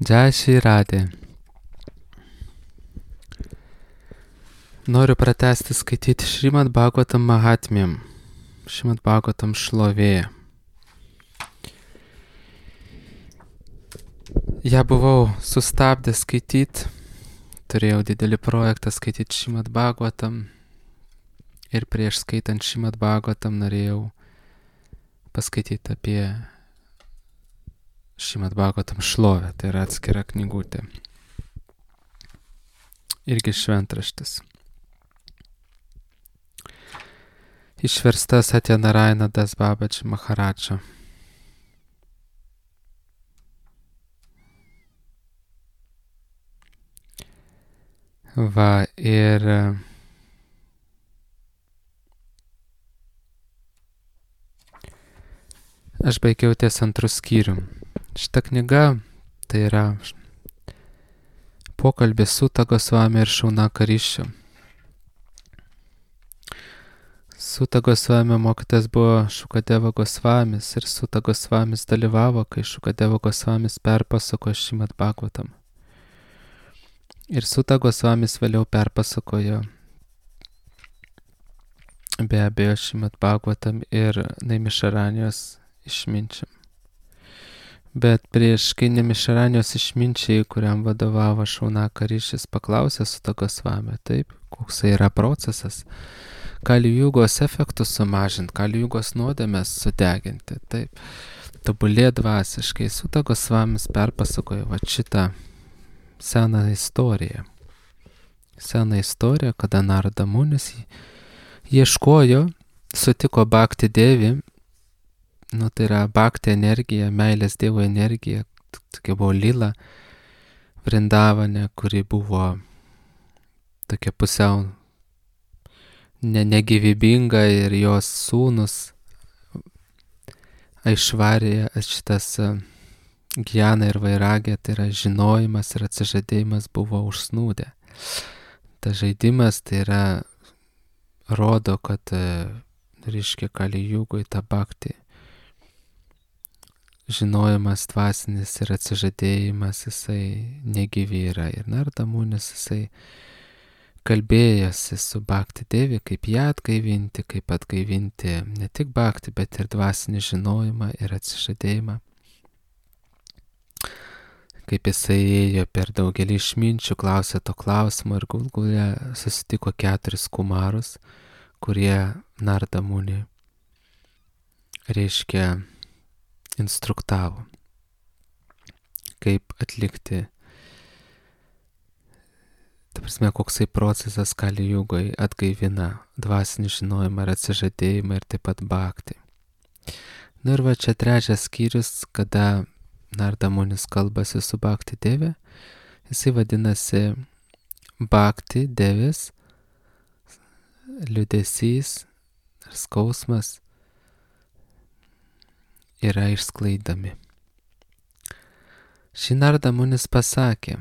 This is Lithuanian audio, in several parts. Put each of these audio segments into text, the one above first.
Jai Shri Radhe. Noriu pratęsti skaityti Šrimad Bhagavatam Mahatmyam, Šrimad Bhagavatam šlovė. Ja buvau sustabdęs skaityti, turėjau didelį projektą skaityti Šrimad Bhagavatam ir prieš skaitant Šrimad Bhagavatam norėjau paskaityti apie Šrimad Bhagavatam šlovę, tai yra atskira knygutė. Irgi šventraštis. Išversta Satya Narayana Das Babaji Maharadža. Va, ir aš baigiau ties antrų skyrių. Šita knyga tai yra pokalbis Suta Gosvami ir Šaunaka Rishi. Suta Gosvami mokytas buvo Šukadeva Gosvamis ir Suta Gosvamis dalyvavo, kai Šukadeva Gosvamis perpasakojo Šrimad Bhagavatam. Ir Suta Gosvamis vėliau perpasakojo be abejo Šrimad Bhagavatam ir Naimišaranijos išminčiam. Bet prieš kai Naimišaranijos išminčiai, kuriam vadovavo Šaunaka Rishis, paklausė Suta Gosvami, taip, koks yra procesas, Kali Jugos efektus sumažinti, Kali Jugos nuodėmes sudeginti, taip, tobulėt dvasiškai. Suta Gosvamis perpasakojo va šitą seną istoriją. Seną istoriją, kada Narada Munis ieškojo, sutiko Bhakti Devi, tai yra Bhakti energija, meilės Dievo energija, tokia buvo Lila Vrindavane, kuri buvo tokia pusiau negyvybinga ir jos sūnus Aišvarija, šitas Gyana ir Vairagė, tai yra žinojimas ir atsižadėjimas buvo užsnūdę. Ta žaidimas tai yra rodo, kad reiškia Kali Jugoj ta bhakti. Žinojimas dvasinis ir atsižadėjimas, jisai negyvi yra. Ir Narada Munis, jisai kalbėjosi su Bhakti Devi, kaip ją atgaivinti, kaip atgaivinti ne tik bhakti, bet ir dvasinį žinojimą ir atsižadėjimą. Kaip jisai ėjo per daugelį išminčių, klausė to klausimo ir galų susitiko 4 kumarus, kurie Narada Munį reiškia instruktavo, kaip atlikti, ta prasme, koksai procesas Kali Jugoj atgaivina dvasinį žinojimą ir atsižadėjimą ir taip pat bhakti. Ir va čia trečias skyrius, kada Narada Munis kalbasi su Bhakti Devi, jisai vadinasi Bhakti Devis, liūdesys ir skausmas yra išsklaidami. Šį Narada Munis pasakė,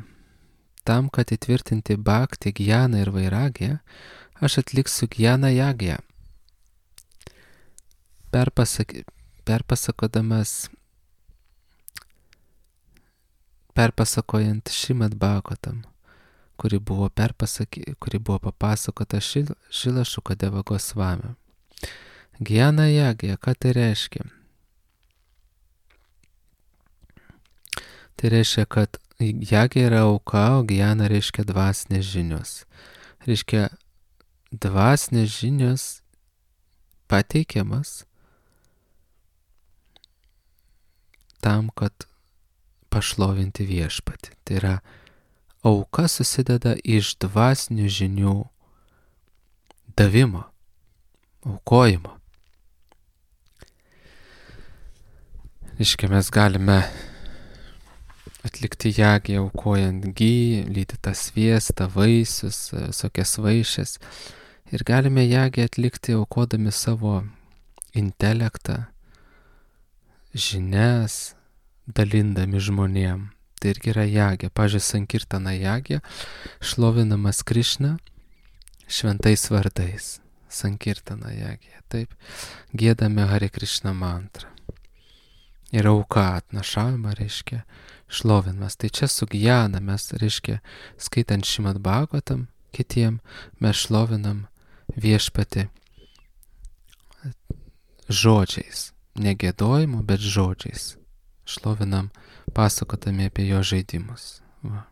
tam, kad įtvirtinti bhakti, Gyana ir Vairagiją, aš atliksiu Gyana Jagją. Perpasakojant Šrimad Bhagavatam, kuri buvo papasakota Šrila Šukadeva Gosvami. Gyana Jagja, ką tai reiškia? Tai reiškia, kad Jagja yra auka, o Gyana reiškia dvasinės žinios. Reiškia, dvasinės žinios pateikiamas tam, kad pašlovinti viešpatį. Tai yra, auka susideda iš dvasinių žinių davimo, aukojimo. Reiškia, mes galime atlikti Jagją aukojant gy, lydytą sviestą, vaisius, visokias vaišes. Ir galime Jagją atlikti aukodami savo intelektą, žinias, dalindami žmonėm. Tai irgi yra Jagja. Pavyzdžiui, Sankirtana Jagja, šlovinamas Krišna šventais vardais. Sankirtana Jagja. Taip, giedame Hare Krishna mantrą. Ir auka atnašavimą reiškia šlovinamas. Tai čia su gyjana mes, reiškia, skaitant Šrimad Bhagavatam kitiem, mes šlovinam viešpatį žodžiais. Ne giedojimu, bet žodžiais. Šlovinam pasakodami apie jo žaidimus. Va.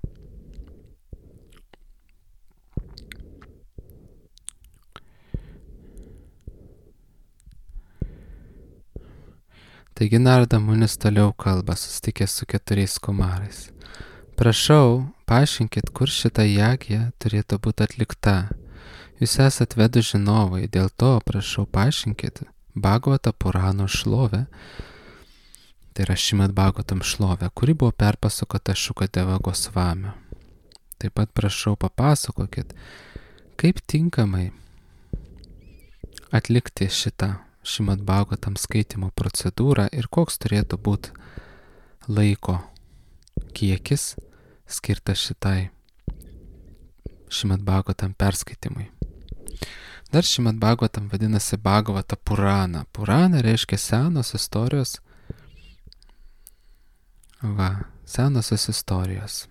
Taigi Narada Munis toliau kalba, susitikęs su 4 kumarais. Prašau, paaiškinkit, kur šita jagija turėtų būti atlikta. Jūs esat vedų žinovai, dėl to prašau paaiškinkit Bhagavata Purano šlovę, tai yra Šrimad Bhagavatam šlovę, kuri buvo perpasakota Šukadeva Gosvamio. Taip pat prašau papasakokit, kaip tinkamai atlikti šitą Šrimad Bhagavatam skaitimo procedūrą ir koks turėtų būti laiko kiekis skirtas šitai Šrimad Bhagavatam perskaitimui. Dar Šrimad Bhagavatam vadinasi Bhagavata Purana. Purana reiškia senos istorijos. Senosios istorijos.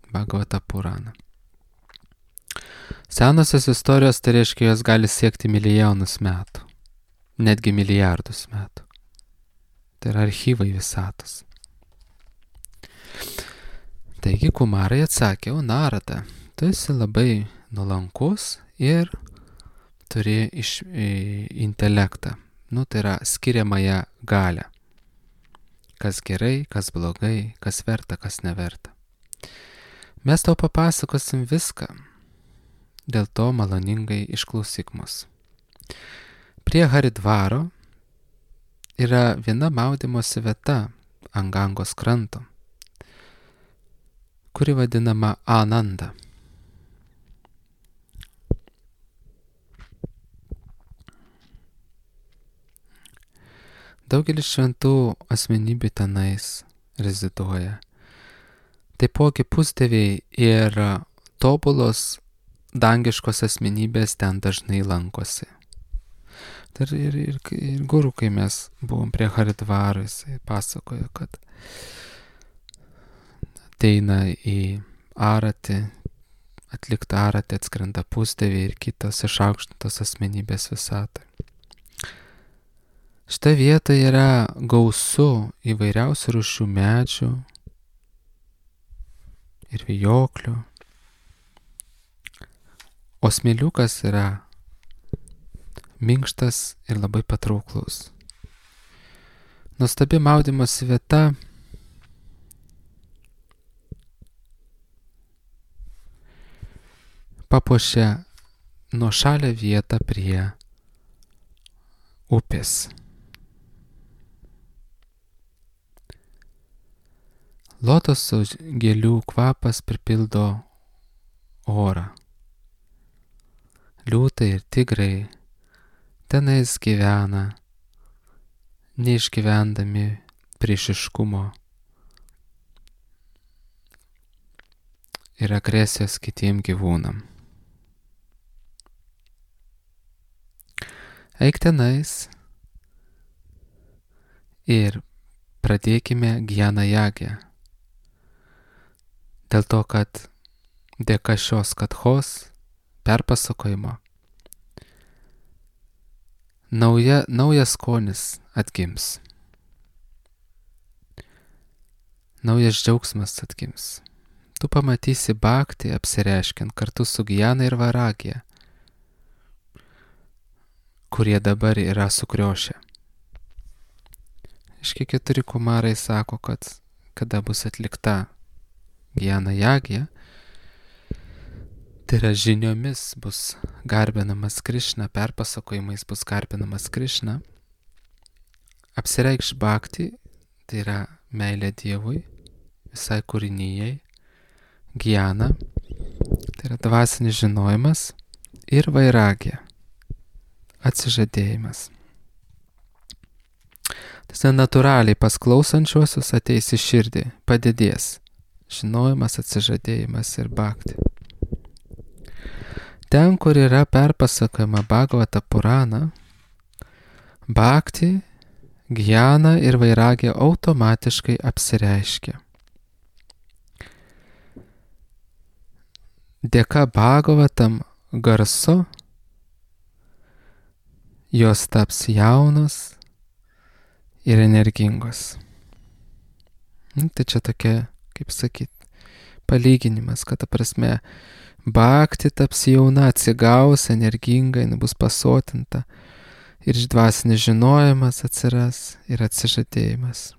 Bhagavata Purana. Senosios istorijos tai reiškia, jos gali siekti milijonus metų. Netgi milijardus metų. Tai yra archyvai visatos. Taigi kumarai atsakė, o Narada, tu esi labai nuolankus ir turi intelektą. Tai yra skiriamąją galią. Kas gerai, kas blogai, kas verta, kas neverta. Mes tau papasakosim viską. Dėl to maloningai išklausyk mus. Prie Haridvaro yra viena maudymosi vieta ant Gangos kranto, kuri vadinama Ananda. Daugelis šventų asmenybių tenais reziduoja. Taipogi pusdieviai ir tobulos dangiškos asmenybės ten dažnai lankosi. Ir guru, kai mes buvom prie Haridvaro, jisai pasakojo, kad ateina į aratį, atlikti aratį atskrenda pusdieviai ir kitos išaukštintos asmenybės visatoj. Šita vieta yra gausu įvairiausių rūšių medžių ir vijoklių, o smėliukas yra minkštas ir labai patrauklus. Nuostabi maudymosi vieta papuošia nuošalią vietą prie upės. Lotoso gėlių kvapas pripildo orą. Liūtai ir tigrai tenais gyvena, neišgyvendami priešiškumo ir agresijos kitiem gyvūnam. Eik tenais ir pradėkime Gyjana Jagiją. Dėl to, kad dėka šios kathos perpasakojimo naujas skonis atgims. Naujas džiaugsmas atgims. Tu pamatysi bhaktį apsireiškiant kartu su Gyjana ir Vairagija, kurie dabar yra sukriošę. Iški 4 kumarai sako, kad kada bus atlikta Gyjana Jagija, tai yra žiniomis bus garbinamas Krišna, perpasakojimais bus garbinamas Krišna, apsireikš bhaktį, tai yra meilė Dievui, visai kūrinijai, Gyjana, tai yra dvasinis žinojimas, ir Vairagija, atsižadėjimas. Tai natūraliai pas klausančiuosius ateis į širdį, padidės žinojimas, atsižadėjimas ir bhakti. Ten, kur yra perpasakojama Bhagavata Purana, bhakti, Gyjana ir Vairagija automatiškai apsireiškia. dėka Bhagavatam garso jos taps jaunos ir energingos. Tai čia tokia, kaip sakyt, palyginimas, kad ta prasme bhakti taps jauna, atsigaus, energinga, jinai bus pasotinta ir dvasinis žinojimas atsiras ir atsižadėjimas.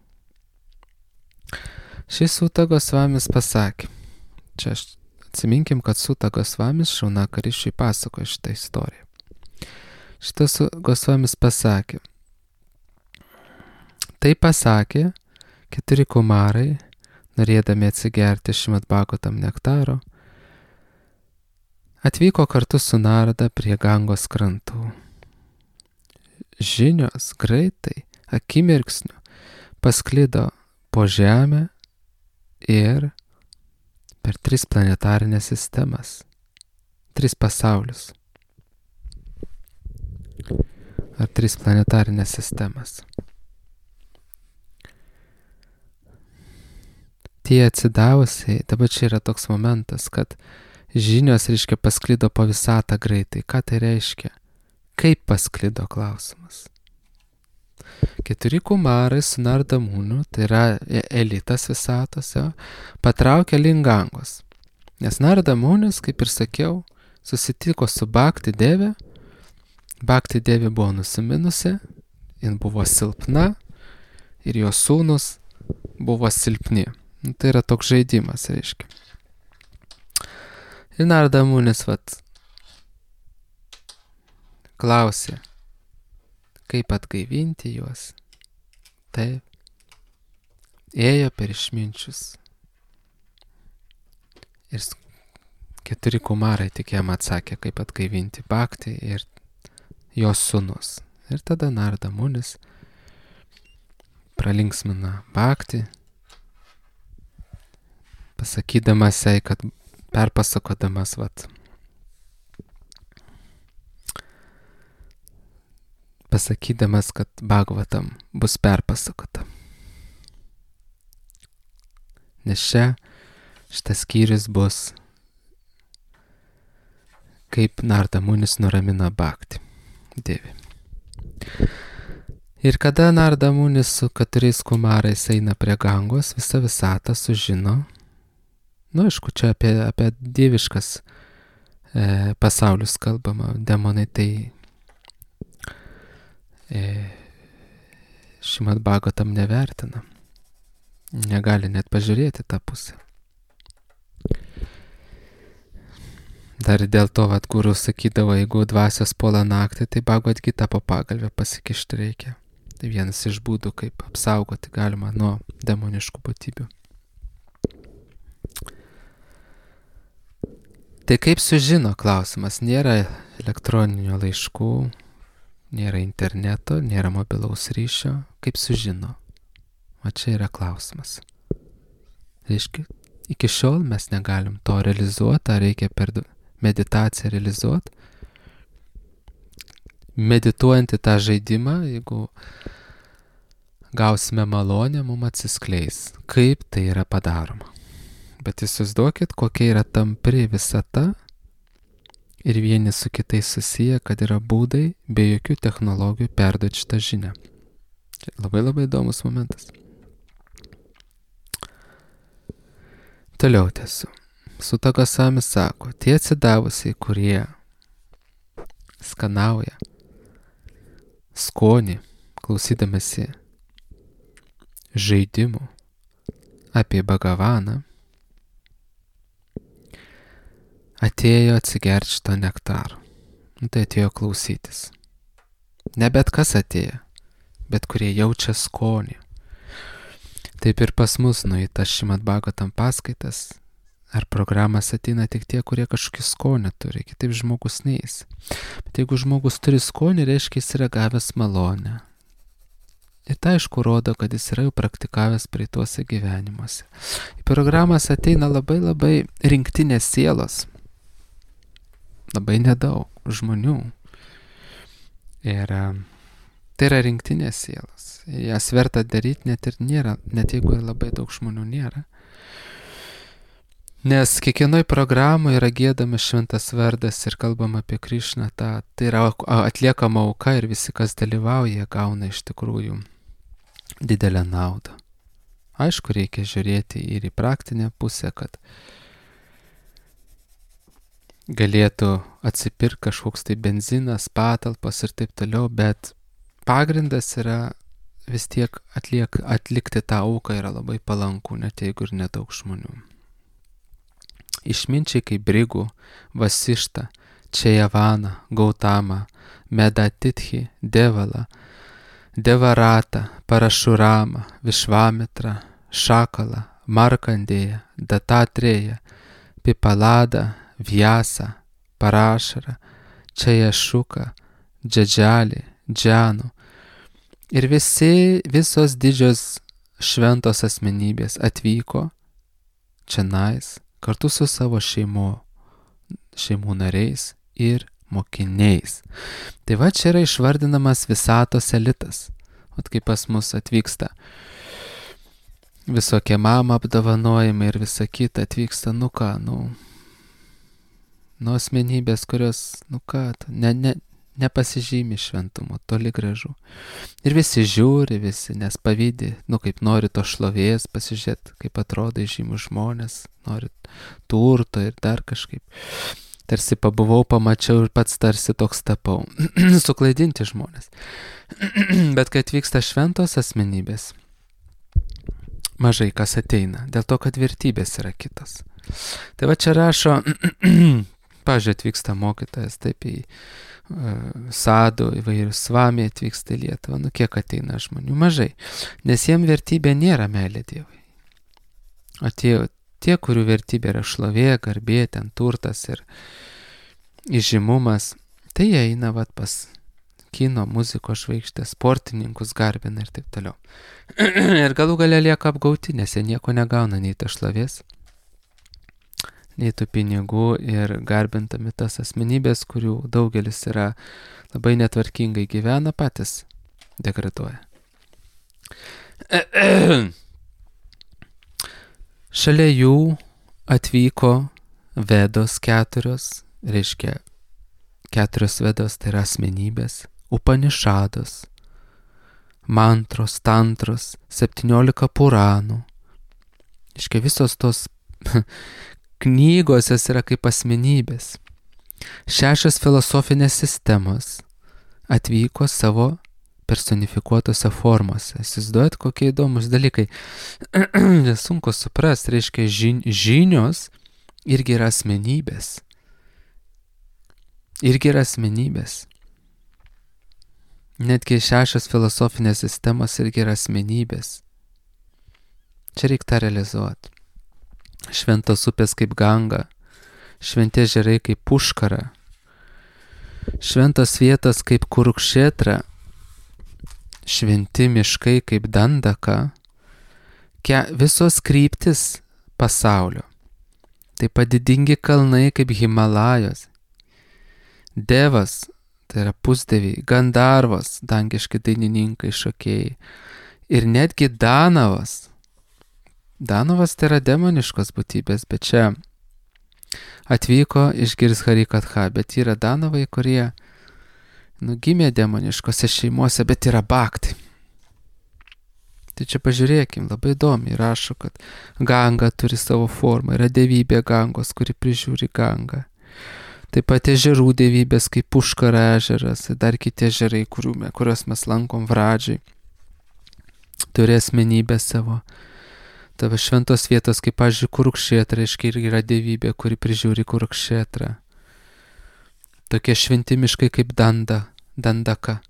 Šis Suta Gosvamis pasakė, čia atsiminkim, kad Suta Gosvamis Šaunakarišiui pasakoja šitą istoriją. Šitas Gosvamis pasakė, tai pasakė 4 kumarai, norėdami atsigerti Šrimad Bhagavatam nektaro, atvyko kartu su Narada prie Gangos krantų. Žinios greitai, akimirksniu, pasklido po žemę ir per 3 planetarinės sistemas, 3 pasaulius. Ar 3 planetarinės sistemas. Tie atsidavusiai, dabar čia yra toks momentas, kad žinios, reiškia, pasklido po visatą greitai. Ką tai reiškia? Kaip pasklido klausimas? 4 kumarai su Narada Munu, tai yra elitas visatose, patraukė link Gangos. Nes Narada Munis, kaip ir sakiau, susitiko su Bhakti Deve. Bhakti Deve buvo nusiminusi, jin buvo silpna ir jos sūnus buvo silpni. Tai yra toks žaidimas, reiškia. Ir Narada Munis klausė, kaip atgaivinti juos. Taip, ėjo per išminčius. Ir 4 kumarai tik jam atsakė, kaip atgaivinti Bhakti ir jos sūnus. Ir tada Narada Munis pralinksmina Bhakti, pasakydamas jai, kad perpasakodamas pasakydamas, kad Bhagavatam bus perpasakota. Nes šitas skyrius bus, kaip Narada Munis nuramina Bhakti Devi. Ir kada Narada Munis su 4 kumarais eina prie Gangos, visa visata sužino, aišku, čia apie dieviškas pasaulius kalbama, demonai tai Šrimad Bhagavatam nevertina, negali net pažiūrėti tą pusę. Dar dėl to, guru sakydavo, jeigu dvasios puola naktį, tai Bhagavad Gita po pagalvę pasikišti reikia. Tai vienas iš būdų, kaip apsaugoti galima nuo demoniškų būtybių. Tai kaip sužino klausimas, nėra elektroninių laiškų, nėra interneto, nėra mobilaus ryšio, kaip sužino. O čia yra klausimas. Reiškia, iki šiol mes negalim to realizuoti, ar reikia per meditaciją realizuoti. Medituojant į tą žaidimą, jeigu gausime malonę, mums atsiskleis, kaip tai yra padaroma. Bet įsivaizduokit, kokia yra tampri visata ir vieni su kitais susiję, kad yra būdai be jokių technologijų perduoti šitą žinią. Labai labai įdomus momentas. Toliau tęsiu. Suta Gosvamis sako, tie atsidavusiai, kurie skanauja skonį, klausydamasi žaidimų apie Bhagavaną, atėjo atsigerti šitą nektarą. Tai atėjo klausytis. Ne bet kas atėjo, bet kurie jaučia skonį. Taip ir pas mus į tas Šrimad Bhagavatam paskaitas ar programas ateina tik tie, kurie kažkokį skonį turi, kitaip žmogus neis. Bet jeigu žmogus turi skonį, reiškia jis yra gavęs malonę. Ir tai aišku rodo, kad jis yra jau praktikavęs praeituose gyvenimuose. Į programas ateina labai labai rinktinės sielos. Labai nedaug žmonių. Ir tai yra rinktinės sielos. Jas verta daryti net ir nėra, net jeigu labai daug žmonių nėra. Nes kiekvienoj programoje yra giedamas šventas vardas ir kalbama apie Krišną. Tai yra atliekama auka ir visi, kas dalyvauja, gauna iš tikrųjų didelę naudą. Aišku, reikia žiūrėti ir į praktinę pusę, kad galėtų atsipirkti kažkoks tai benzinas, patalpas ir taip toliau, bet pagrindas yra vis tiek atlikti tą auką yra labai palanku, net jeigu ir nedaug žmonių. Išminčiai kaip Brigų, Vasišta, Čejavana, Gautama, Medatitchi, Devala, Devarata, Parašurama, Višvamitra, Šakala, Markandėja, Datatreja, Pipalada, Vyasa, Parašara, Čejašuka, Džadžali, Džanu ir visos didžios šventos asmenybės atvyko čionais kartu su savo šeimų nariais ir mokiniais. Tai va čia yra išvardinamas visatos elitas. Vat kaip pas mus atvyksta visokie mama apdovanojimai ir visa kita, atvyksta, asmenybės, kurios, nepasižymi šventumu, toli gražu. Ir visi žiūri, nes pavydi, kaip nori to šlovės, pasižiūrėti, kaip atrodo žymus žmonės, nori turto ir dar kažkaip. Tarsi pabuvau, pamačiau ir pats tarsi toks tapau. Suklaidinti žmonės. Bet kai atvyksta šventos asmenybės, mažai kas ateina, dėl to, kad vertybės yra kitos. Tai va čia rašo, pavyzdžiui, atvyksta mokytojas, taip į Sadų, įvairius Svamiai atvyksta į Lietuvą, kiek ateina žmonių? Mažai, nes jiem vertybė nėra meilė Dievui. O tie, kurių vertybė yra šlovė, garbė, ten turtas ir įžymumas, tai jie eina pas kino, muzikos žvaigždės, sportininkus garbina ir taip toliau. Ir galų gale lieka apgauti, nes jie nieko negauna, nei ta šlovės, nei tų pinigų ir garbintami tas asmenybės, kurių daugelis yra labai netvarkingai gyvena, patys degraduoja. Šalia jų atvyko Vedos 4, reiškia 4 Vedos, tai yra asmenybės, Upanišados, mantros, tantros, 17 Puranų. Reiškia visos tos knygos jos yra kaip asmenybės. 6 filosofinės sistemos atvyko savo personifikuotose formose. Įsivaizduojat, kokie įdomus dalykai. Sunku suprasti, reiškia žinios irgi yra asmenybės. Netgi 6 filosofinės sistemos irgi yra asmenybės. Čia reikia tą realizuoti. Šventos upės kaip Ganga, šventi ežerai kaip Puškara, šventos vietos kaip Kurukšetra, šventi miškai kaip Dandaka, visos kryptis pasaulio, taip pat didingi kalnai kaip Himalajos, Devas, tai yra pusdieviai, Gandarvos, dangiški dainininkai, šokėjai, ir netgi Danavas. Danovas tai yra demoniškos būtybės, bet čia atvyko išgirs Harikatha, bet yra Danovai, kurie gimė demoniškose šeimose, bet yra bhakti. Tai čia pažiūrėkim, labai įdomi, rašo, kad Ganga turi savo formą, yra dievybė Gangos, kuri prižiūri Gangą. Taip pat ežerų dievybės kaip Puškara ežeras, dar kiti ežerai, kuriuos mes lankom Vradžiai, turi asmenybę savo. Tavo šventos vietos, kaip, pavyzdžiui, Kurukšetra, reiškia, irgi yra dievybė, kuri prižiūri Kurukšetrą. Tokie šventi miškai kaip Dandaka,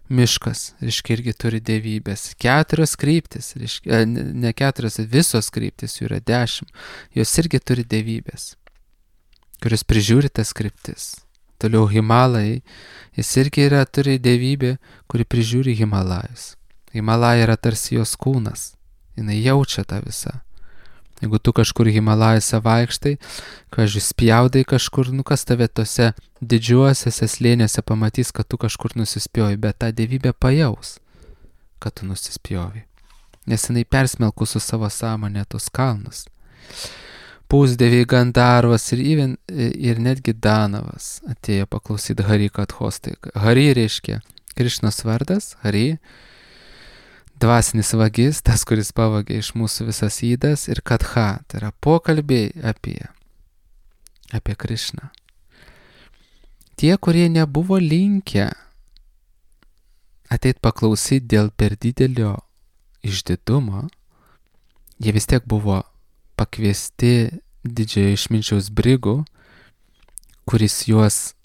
miškas, reiškia, irgi turi dievybės. 4 kryptis, reiškia, ne 4, visos kryptis, jų yra 10, jos irgi turi dievybės, kuris prižiūri tas kryptis. Toliau Himalajai, jis irgi turi dievybę, kuri prižiūri Himalajus. Himalajai yra tarsi jos kūnas. Jinai jaučia tą visą. Jeigu tu kažkur Himalajose vaikštai, spjaudai kažkur, kas tave tose didžiuosiuose slėniuose pamatys, kad tu kažkur nusispjovi, bet tą dievybę pajaus, kad tu nusispjovi. Nes jinai persmelku su savo sąmonė tos kalnus. pusdieviai Gandarvas ir netgi Danavas atėjo paklausyti Hari Kathos. Tai Hari reiškia Krišnos vardas, Hari, dvasinis vagis, tas, kuris pavagė iš mūsų visas ydas, ir Katha, tai yra pokalbiai apie Krišną. Tie, kurie nebuvo linkę ateit paklausyti dėl per didelio išdidumo, jie vis tiek buvo pakviesti didžiojo išminčiaus Brigų, kuris juos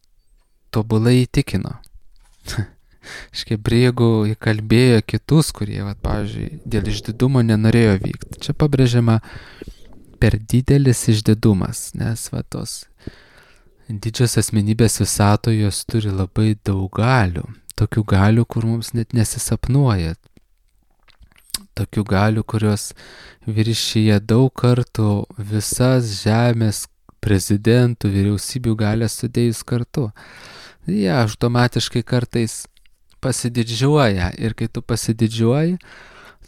tobulai įtikino. Škai Brigų įkalbėjo kitus, kurie, pavyzdžiui, dėl išdidumo nenorėjo vykti. Čia pabrėžiama per didelis išdidumas, nes tos didžios asmenybės visatoje jos turi labai daug galių. Tokių galių, kur mums net nesisapnuoja. Tokių galių, kurios viršyje daug kartų visas žemės prezidentų, vyriausybių galės sudėjus kartu. Jie automatiškai kartais pasididžiuoja ir kai tu pasididžiuoji,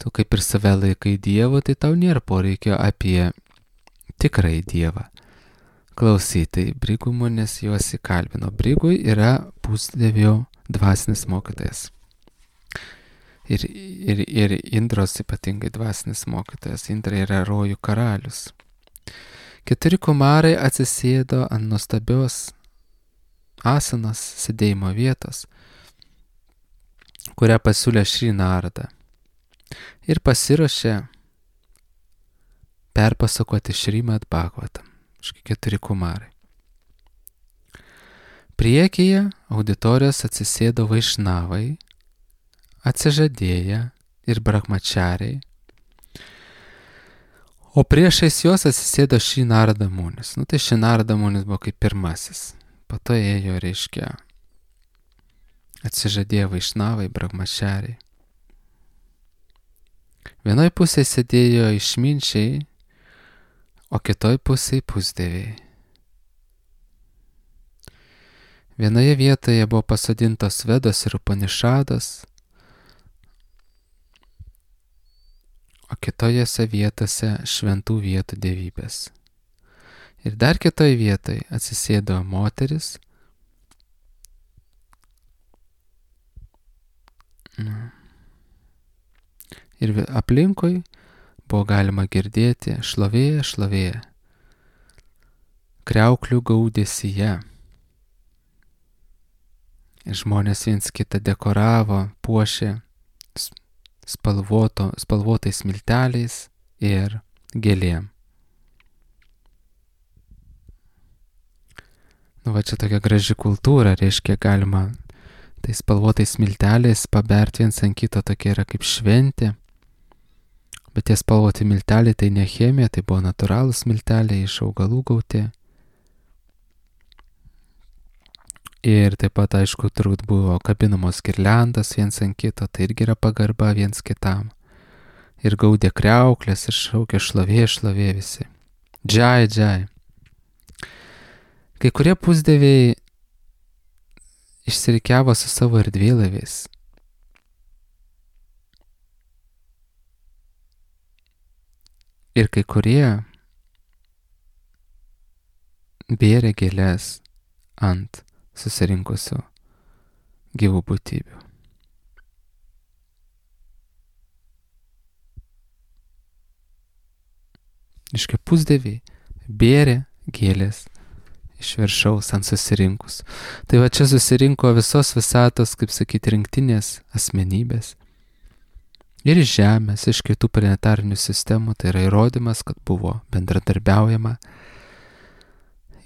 tu kaip ir save laikai Dievu, tai tau nėra poreikio apie tikrąjį Dievą klausyti. Brigų žmonės juos įkalbino. Brigui yra pusdievio dvasinis mokytojas. Ir Indros ypatingai dvasinis mokytojas. Indra yra rojų karalius. 4 kumarai atsisėdo ant nuostabios asanos sėdėjimo vietos, kurią pasiūlė Šri Narada. Ir pasiruošė perpasakoti Šrimad Bhagavatam. 4 kumarai. Priekyje auditorijos atsisėdo vaišnavai, atsižadėję ir brahmačariai, o priešais juos atsisėdo Šri Narada Munis. Tai Šri Narada Munis buvo kaip pirmasis. Po to ėjo, reiškia, atsižadėję vaišnavai, brahmačariai. Vienoj pusėje sėdėjo išminčiai, o kitoj pusėje pusdieviai. Vienoje vietoje buvo pasodintos Vedos ir Upanišados, o kitojose vietose šventų vietų dievybės. Ir dar kitoj vietoj atsisėdo moteris, ir aplinkui buvo galima girdėti šlovė, šlovė, kriauklių gaudesyje. Ir žmonės viens kitą dekoravo, puošė spalvotais milteliais ir gėlėm. Čia tokia graži kultūra, reiškia galima tai spalvotais milteliais paberti viens ant kito, tokia yra kaip šventė. Bet tie spalvoti milteliai tai ne chemija, tai buvo natūralūs milteliai iš augalų gauti. Ir taip pat, aišku, turbūt buvo kabinamos girliandos viens ant kito, tai irgi yra pagarba viens kitam. Ir gaudė kriauklės ir šaukė šlovė, šlovė visi. Džai, džai. Kai kurie pusdieviai išsirikiavo su savo erdvėlaiviais. Ir kai kurie bėrė gėlės ant susirinkusių gyvų būtybių. Iškai pusdieviai bėrė gėlės iš viršaus ant susirinkus. Tai čia susirinko visos visatos, kaip sakyti, rinktinės asmenybės. Ir iš Žemės, iš kitų planetarinių sistemų, tai yra įrodymas, kad buvo bendradarbiaujama.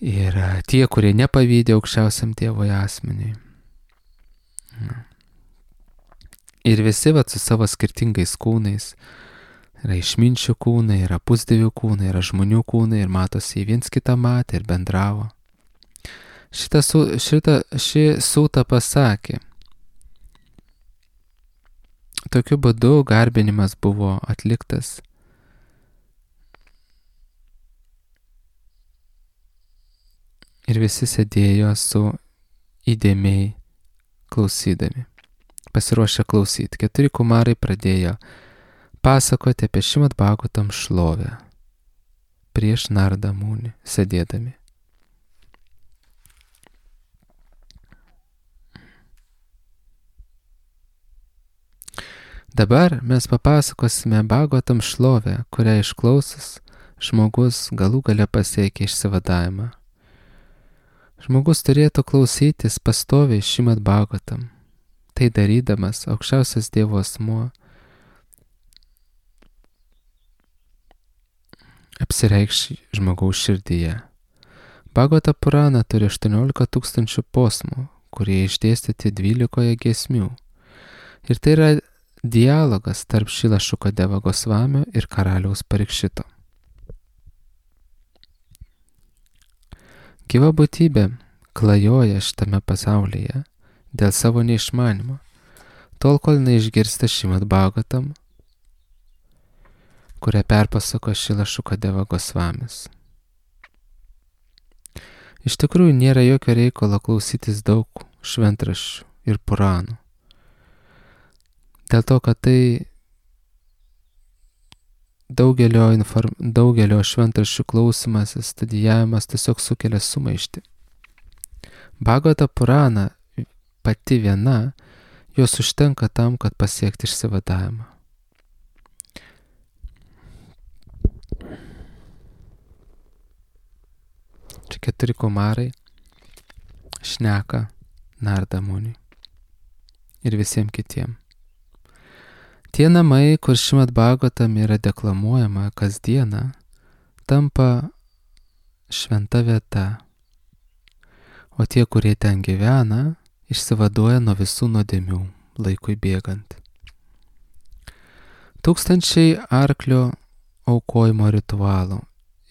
Ir tie, kurie nepavydė aukščiausiam Dievo asmeniui. Ir visi su savo skirtingais kūnais. Yra išminčių kūnai, yra pusdievių kūnai, yra žmonių kūnai ir matosi, viens kitą matė ir bendravo. Ši sūta pasakė. Tokiu būdu garbinimas buvo atliktas. Ir visi sėdėjo su įdėmiai klausydami, pasiruošę klausyti. 4 kumarai pradėjo pasakoti apie Šrimad Bhagavatam šlovę. prieš Narda Muni sėdėdami. Dabar mes papasakosime Bhagavatam šlovę, kurią išklausus žmogus galų gale pasiekia išsivadavimą. Žmogus turėtų klausytis pastoviai Šrimad Bhagavatam. Tai darydamas aukščiausias Dievo asmuo apsireikš žmogaus širdyje. Bhagavata Purana turi 18 000 posmų, kurie išdėstyti 12 giesmių. Ir tai yra dialogas tarp Šrila Šukadeva Gosvamio ir karaliaus Parikšito. Gyva būtybė klajoja šitame pasaulyje dėl savo neišmanimo, tol kol neišgirsta Šrimad Bhagavatam, kurią perpasako Šrila Šukadeva Gosvamis. Iš tikrųjų nėra jokio reikalo klausytis daug šventraščių ir puranų. Dėl to, kad tai daugelio šventraščių klausimas, studijavimas tiesiog sukelia sumaištį. Bhagavata Purana pati viena, jos užtenka tam, kad pasiekti išsivadavimą. Čia 4 kumarai šneka Narda Muniui ir visiems kitiems. Tie namai, kur Šrimad Bhagavatam yra deklamuojama kasdieną, tampa šventa vieta, o tie, kurie ten gyvena, išsivaduoja nuo visų nuodėmių laikui bėgant. Tūkstančiai arklio aukojimo ritualų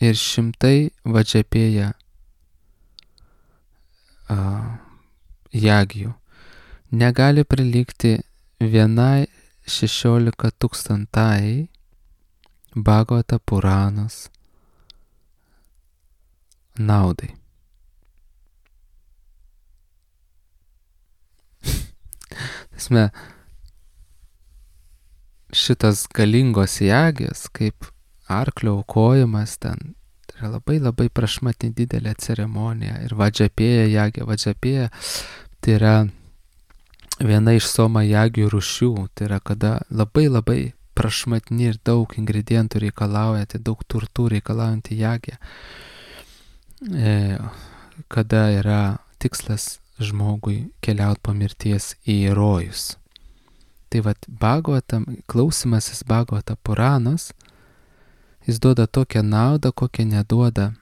ir 100 vadžapėja jagijų negali prilygti vienai 16 000 Bhagavata Puranos naudai. Tasme, šitas galingos jagės, kaip arklio aukojimas ten, tai yra labai prašmatni didelė ceremonija. Ir vadžapėja jagė, vadžapėja tai yra viena iš soma jagių rūšių, tai yra kada labai prašmatni ir daug ingredientų reikalauja, tai daug turtų reikalaujanti jagė, kada yra tikslas žmogui keliauti po mirties į rojus. Tai vat Bhagavatam, klausimasis Bhagavata Puranos, jis duoda tokią naudą, kokią neduoda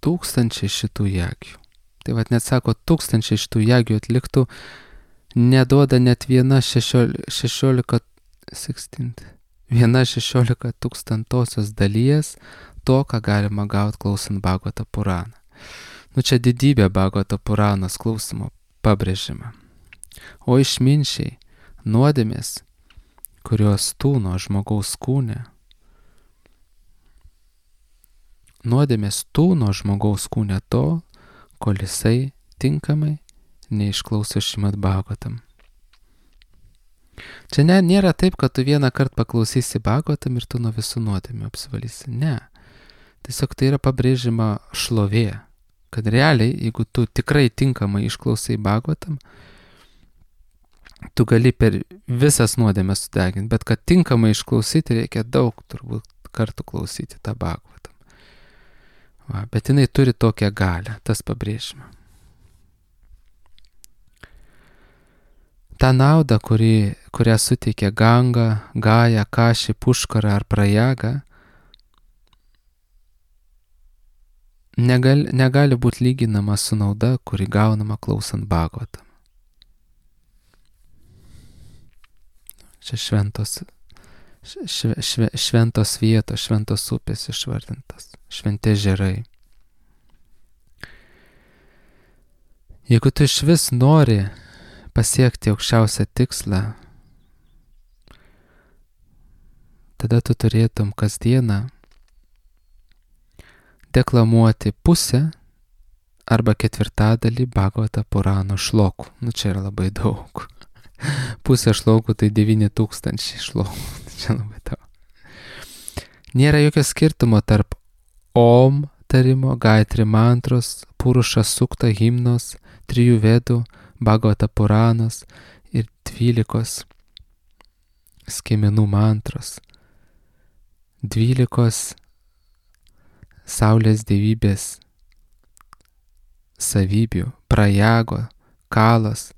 tūkstančiai šitų jagių. Tai vat net sako, 1000 šitų jagių atliktų, neduoda net viena 16 tūkstantosios dalies to, ką galima gauti klausant Bhagavata Puraną. Čia didybė Bhagavata Puranos klausimo pabrėžima. O išminčiai, nuodėmės, kurios tūno žmogaus kūne, tol, kol jisai tinkamai neišklauso Šrimad Bhagavatam. Čia nėra taip, kad tu vieną kartą paklausysi Bhagavatam ir tu nuo visų nuodėmių apsivalysi. Ne. Tiesiog tai yra pabrėžima šlovė, kad realiai, jeigu tu tikrai tinkamai išklausai Bhagavatam, tu gali per visas nuodėmes sudeginti, bet kad tinkamai išklausyti reikia daug turbūt kartų klausyti tą Bhagavatam. Bet jinai turi tokią galią, tas pabrėžima. Ta nauda, kurią suteikia Ganga, Gaja, Kaši, Puškara ar Prajaga, negali būti lyginama su nauda, kuri gaunama klausant Bhagavatam. Čia šventos vietos, šventos upės išvardintas, šventi ežerai. Jeigu tu iš vis nori pasiekti aukščiausią tikslą, tada tu turėtum kasdieną deklamuoti pusę arba 1/4 Bhagavata Purano šlokų. Čia yra labai daug. Pusė šlokų tai 9000 šlokų. Čia labai daug. Nėra jokio skirtumo tarp Om tarimo, Gayatri mantros, Puruša sukta himnos, 3 vedų, Bhagavata Puranos ir 12 skiemenų mantros, 12 saulės dievybės savybių, prajago, kalas,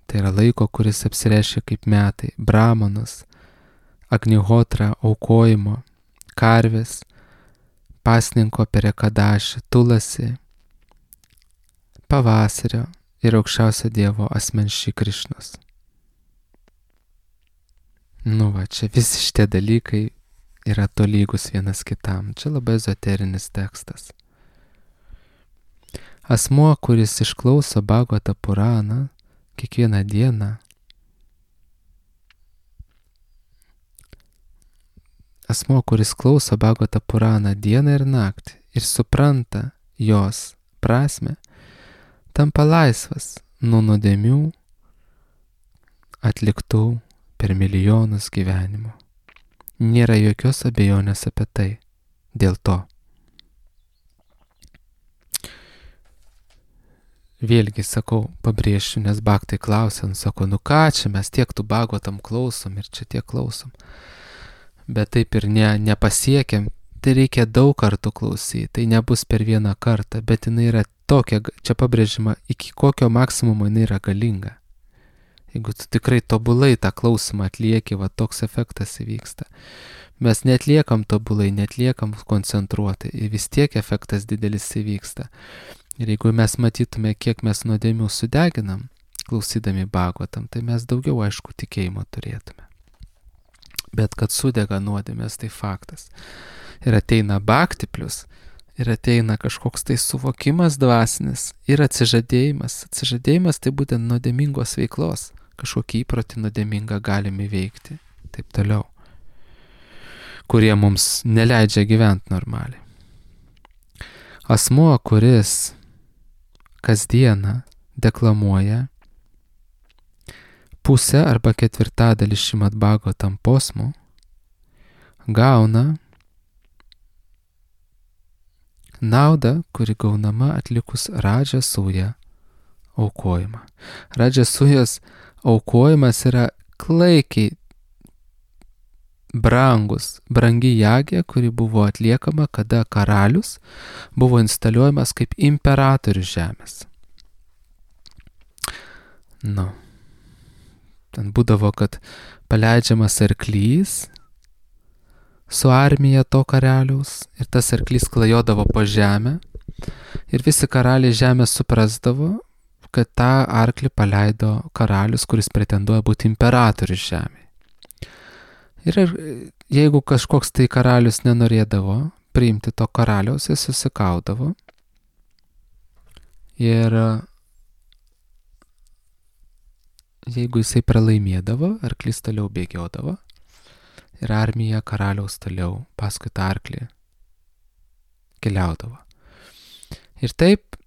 tai yra laiko, kuris apsireiškia kaip metai, brahmanas, agnihotra, aukojimo, karvės, pasninko perekadaši, tulasi, pavasario ir aukščiausio Dievo asmens Šri Krišnos. Čia visi šitie dalykai yra tolygus vienas kitam. Čia labai ezoterinis tekstas. Asmuo, kuris išklauso Bhagavata Puraną kiekvieną dieną, asmuo, kuris klauso Bhagavata Puraną dieną ir naktį ir supranta jos prasme, tampa laisvas nuo nuodėmių atliktų per milijonus gyvenimų. Nėra jokios abejonės apie tai. Dėl to. Vėlgi sakau, pabrėšiu, nes bhaktai klausia, sako, ką čia mes tiek tų Bhagavatam klausom ir čia tiek klausom. Bet taip ir nepasiekiam, tai reikia daug kartų klausyti, tai nebus per vieną kartą, bet jinai yra tokia, čia pabrėžima, iki kokio maksimumo jinai yra galinga. Jeigu tu tikrai tobulai tą klausimą atlieki, toks efektas įvyksta. Mes netliekam tobulai, netliekam koncentruotai, ir vis tiek efektas didelis įvyksta. Ir jeigu mes matytume, kiek mes nuodėmių sudeginam, klausydami Bhagavatam, tai mes daugiau, aišku, tikėjimo turėtume. Bet kad sudega nuodėmės, tai faktas. Ir ateina bhakti plius, ir ateina kažkoks tai suvokimas dvasinis, ir atsižadėjimas. Atsižadėjimas tai būtent nuodėmingos veiklos. Kažkokį įprotį nuodėmingą galime veikti. Taip toliau. Kurie mums neleidžia gyventi normaliai. Asmuo, kuris kasdieną deklamuoja pusę arba ketvirtadalį Šrimad Bhagavatam posmų, gauna naudą, kuri gaunama atlikus Radžasuja aukojimą. Radžasujos aukojimas yra klaikiai brangi jagė, kuri buvo atliekama, kada karalius buvo instaliuojamas kaip imperatorius žemės. Ten būdavo, kad paleidžiamas arklys su armija to karaliaus ir tas arklys klajodavo po žemę ir visi karaliai žemę suprasdavo, kad tą arklį paleido karalius, kuris pretenduoja būti imperatorius žemėje. Ir jeigu kažkoks tai karalius nenorėdavo priimti to karaliaus, jis susikaudavo ir jeigu jisai pralaimėdavo, arklys toliau bėgiodavo ir armija karaliaus toliau paskui tą arklį keliaudavo. Ir taip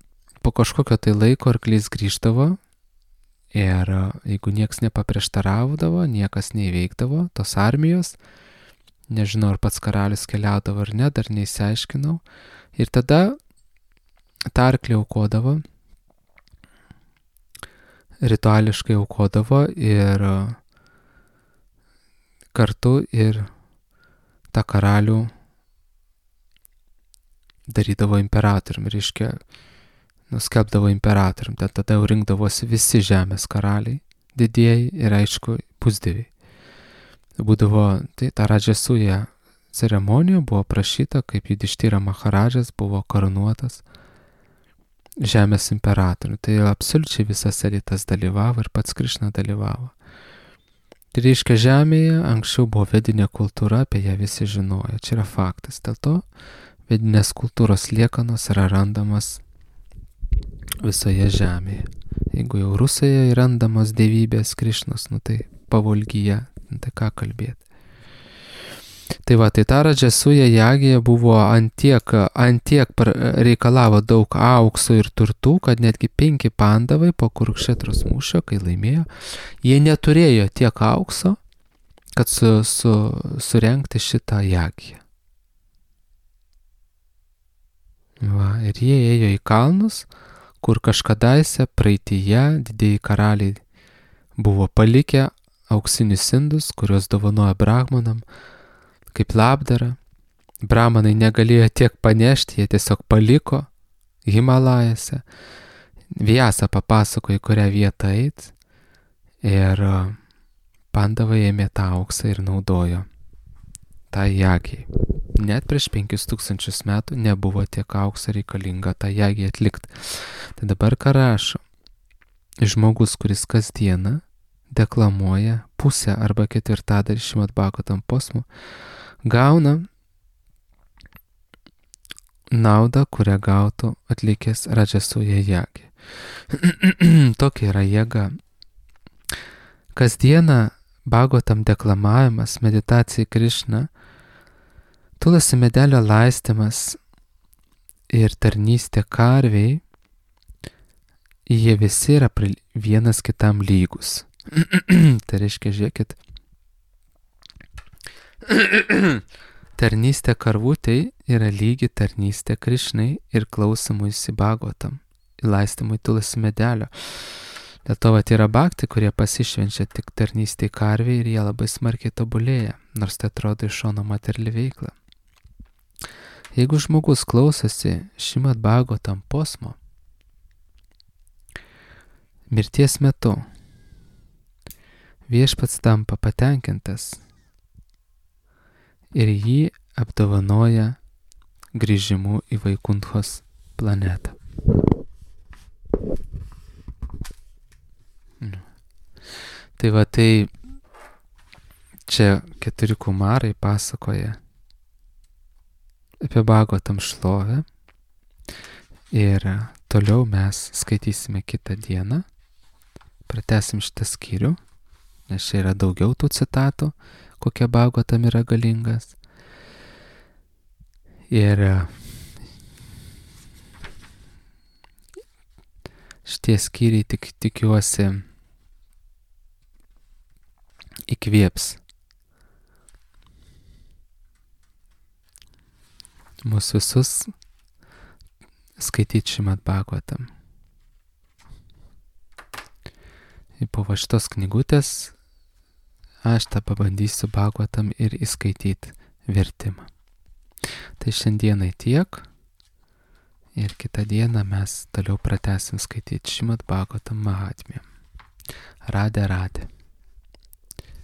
po kažkokio tai laiko arklys grįždavo ir jeigu nieks nepaprieštaraudavo, niekas neįveikdavo tos armijos, nežinau, ar pats karalius keliaudavo ar ne, dar neįsiaiškinau, ir tada tą arklį aukodavo, rituališkai aukodavo ir kartu ir tą karalių darydavo imperatorium, reiškia, nuskelbdavo imperatorium, tada jau rinkdavosi visi žemės karaliai, didieji ir aišku pusdieviai. Būdavo, tai ta Radžasuja ceremonija buvo prašyta, kaip Judištira Maharadžas buvo karūnuotas žemės imperatorium. Tai absoliučiai visas elitas dalyvavo ir pats Krišna dalyvavo. Tai reiškia, žemėje anksčiau buvo vedinė kultūra, apie ją visi žinojo. Čia yra faktas. Dėl to vedinės kultūros liekanos yra randamas visoje žemėje. Jeigu jau Rusijoje randamos dievybės Krišnos, tai Pavolgyje, tai ką kalbėti. Tai tai ta Radžasuja jagija buvo antiek reikalavo daug aukso ir turtų, kad netgi 5 pandavai po Kurukšetros mūšio, kai laimėjo, jie neturėjo tiek aukso kad surengti šitą jagiją. Va, ir jie ėjo į kalnus, kur kažkadaise praeityje didieji karaliai buvo palikę auksinius indus, kuriuos dovanojo brahmanam, kaip labdara. Brahmanai negalėjo tiek panešti, jie tiesiog paliko Himalajose. Vyasa papasakojo, į kurią vietą eit, ir Pandavai ėmė tą auksą ir naudojo tą jagijai. Net prieš 5000 metų nebuvo tiek aukso reikalinga tą jagiją atlikti. Tai dabar ką rašo? Žmogus, kuris kasdieną deklamuoja pusę arba ketvirtadalį Šrimad Bhagavatam posmų, gauna naudą, kurią gautų atlikęs Rajasuja jagiją. Tokia yra jėga. Kasdieną Bhagavatam deklamavimas, meditacija į Krišną, tulasi medelio laistymas ir tarnystė karviai, jie visi yra vienas kitam lygus. Tai reiškia, žiūrėkit, tarnystė karvutei yra lygi tarnystė Krišnai ir klausimuisi Bhagavatam, laistymui tulasi medelio. Dėl to yra bhakti, kurie pasišvenčia tik tarnystė karviai ir jie labai smarkiai tobulėja, nors tai atrodo iš šono materiali veikla. Jeigu žmogus klausosi Šrimad Bhagavatam posmo, mirties metu viešpats tampa patenkintas ir jį apdovanoja grįžimu į Vaikunthos planetą. Tai va, tai čia 4 kumarai pasakoja apie Bhagavatam šlovę ir toliau mes skaitysime kitą dieną, pratęsim šitą skyrių, nes čia yra daugiau tų citatų, kokie Bhagavatam yra galingas. Ir šitie skyriai tikiuosi įkvėps mus visus skaityti Šrimad Bhagavatam. Ir po šitos knygutės aš tą pabandysiu Bhagavatam ir įskaityti vertimą. Tai šiandienai tiek ir kitą dieną mes toliau pratęsim skaityti Šrimad Bhagavatam Mahatmyją. Radhe Radhe.